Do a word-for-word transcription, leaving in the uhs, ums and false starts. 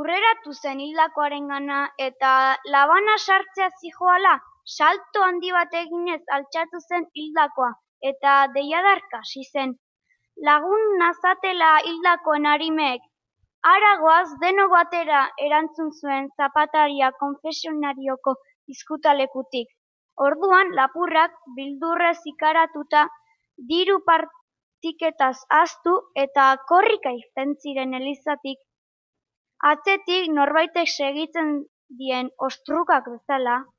Urreratu zen hildakoarengana eta labana sartzea zihoala, salto handi bat eginez altxatu zen hildakoa eta deiadarka hasi zen. Lagun nazatela hildakoen arimeek, hara goaz denok batera, erantzun zuen zapataria konfesionarioko izkutalekutik. Orduan lapurrak bildurrez ikaratuta diru partiketaz ahaztu eta korrika irten ziren elizatik. Atzetik norbaitek segitzen dien ostrukak bezala,